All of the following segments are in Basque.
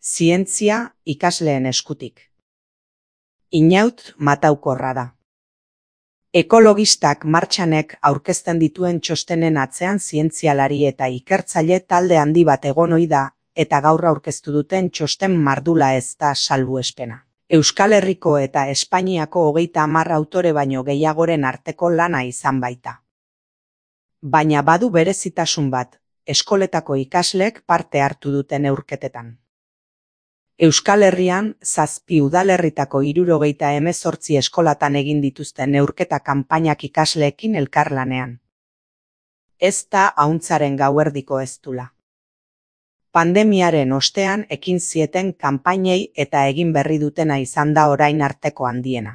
Zientzia ikasleen eskutik. Inaut mataukorra da. Ekologistak martxanek aurkezten dituen txostenen atzean zientzialari eta ikertzaile talde handi bat egon ohi da, eta gaur aurkeztu duten txosten mardula ez da salbuespena. Euskal Herriko eta Espainiako 30 autore baino gehiagoren arteko lana izan baita. Baina badu berezitasun bat, eskoletako ikasleek parte hartu duten neurketetan. Euskal Herrian 7 udalerritako 78 eskolatan egin dituzten neurketa kanpainak ikasleekin elkarlanean. Ez da ahuntzaren gauerdiko eztula. Pandemiaren ostean ekin zieten kanpainei eta egin berri dutena izan da orain arteko handiena.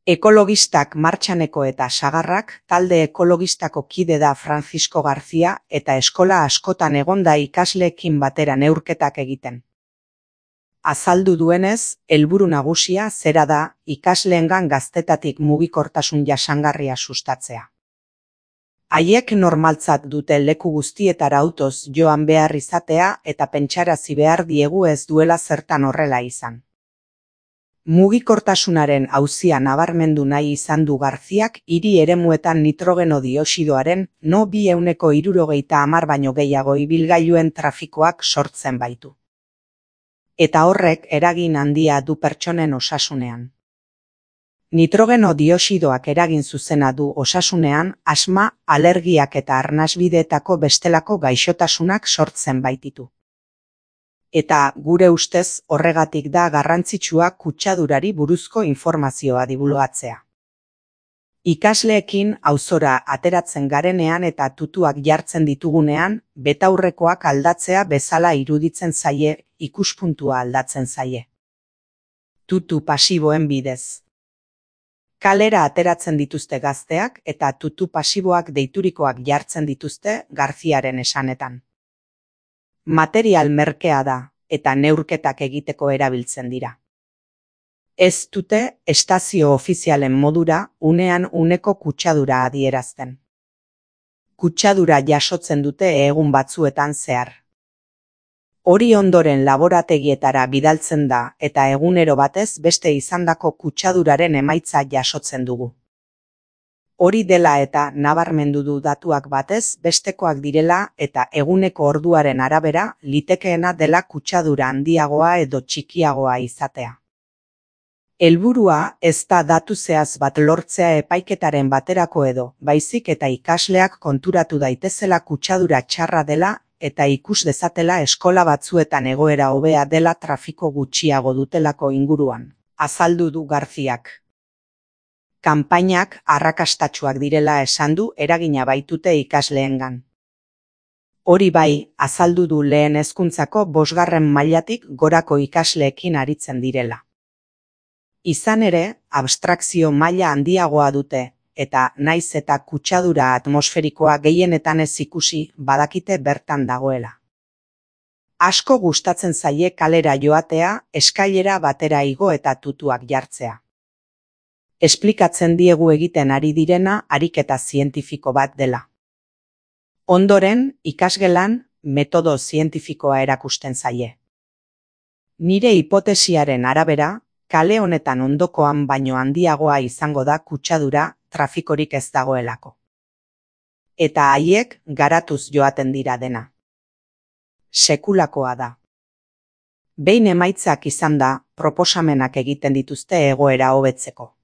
Ekologistak martxaneko eta sagarrak talde ekologistako kide da Francisco García eta eskola askotan egonda ikasleekin batera neurketak egiten. Azaldu duenez, helburu nagusia zera da ikasleengan gaztetatik mugikortasun jasangarria sustatzea. Haiek normaltzat dute leku guztietara autoz joan behar izatea eta pentsarazi behar diegu ez duela zertan horrela izan. Mugikortasunaren auzia nabarmendu nahi izan du Garziak hiri eremuetan nitrogeno dioxidoaren no 230 baino gehiago ibilgailuen trafikoak sortzen baitu. Eta horrek eragin handia du pertsonen osasunean. Nitrogeno dioxidoak eragin zuzena du osasunean asma, alergiak eta arnasbideetako bestelako gaixotasunak sortzen baititu. Eta gure ustez horregatik da garrantzitsua kutsadurari buruzko informazioa dibulgatzea. Ikasleekin auzora ateratzen garenean eta tutuak jartzen ditugunean, betaurrekoak aldatzea bezala iruditzen zaie, ikuspuntua aldatzen zaie. Tutu pasiboen bidez. Kalera ateratzen dituzte gazteak eta tutu pasiboak deiturikoak jartzen dituzte Garziaren esanetan. Material merkea da eta neurketak egiteko erabiltzen dira. Ez dute estazio ofizialen modura unean uneko kutsadura adierazten. Kutsadura jasotzen dute egun batzuetan zehar. Hori ondoren laborategietara bidaltzen da eta egunero batez beste izandako kutsaduraren emaitza jasotzen dugu. Hori dela eta nabarmendu du datuak batez bestekoak direla eta eguneko orduaren arabera litekeena dela kutsadura handiagoa edo txikiagoa izatea. Helburua ez da datu zehaz bat lortzea epaiketaren baterako edo, baizik eta ikasleak konturatu daitezela kutsadura txarra dela eta ikus dezatela eskola batzuetan egoera hobea dela trafiko gutxiago dutelako inguruan, azaldu du Garziak. Kanpainak arrakastatsuak direla esan du eragina baitute ikasleengan. Hori bai, azaldu du lehen hezkuntzako 5. mailatik gorako ikasleekin aritzen direla. Izan ere, abstrakzio maila handiagoa dute, eta naiz eta kutsadura atmosferikoa gehienetan ez ikusi badakite bertan dagoela. Asko gustatzen zaie kalera joatea, eskailera batera igo eta tutuak jartzea. Esplikatzen diegu egiten ari direna ariketa zientifiko bat dela. Ondoren, ikasgelan, metodo zientifikoa erakusten zaie. Nire hipotesiaren arabera, kale honetan ondokoan baino handiagoa izango da kutsadura trafikorik ez dagoelako. Eta haiek garatuz joaten dira dena. Sekulakoa da. Behin emaitzak izan da, proposamenak egiten dituzte egoera hobetzeko.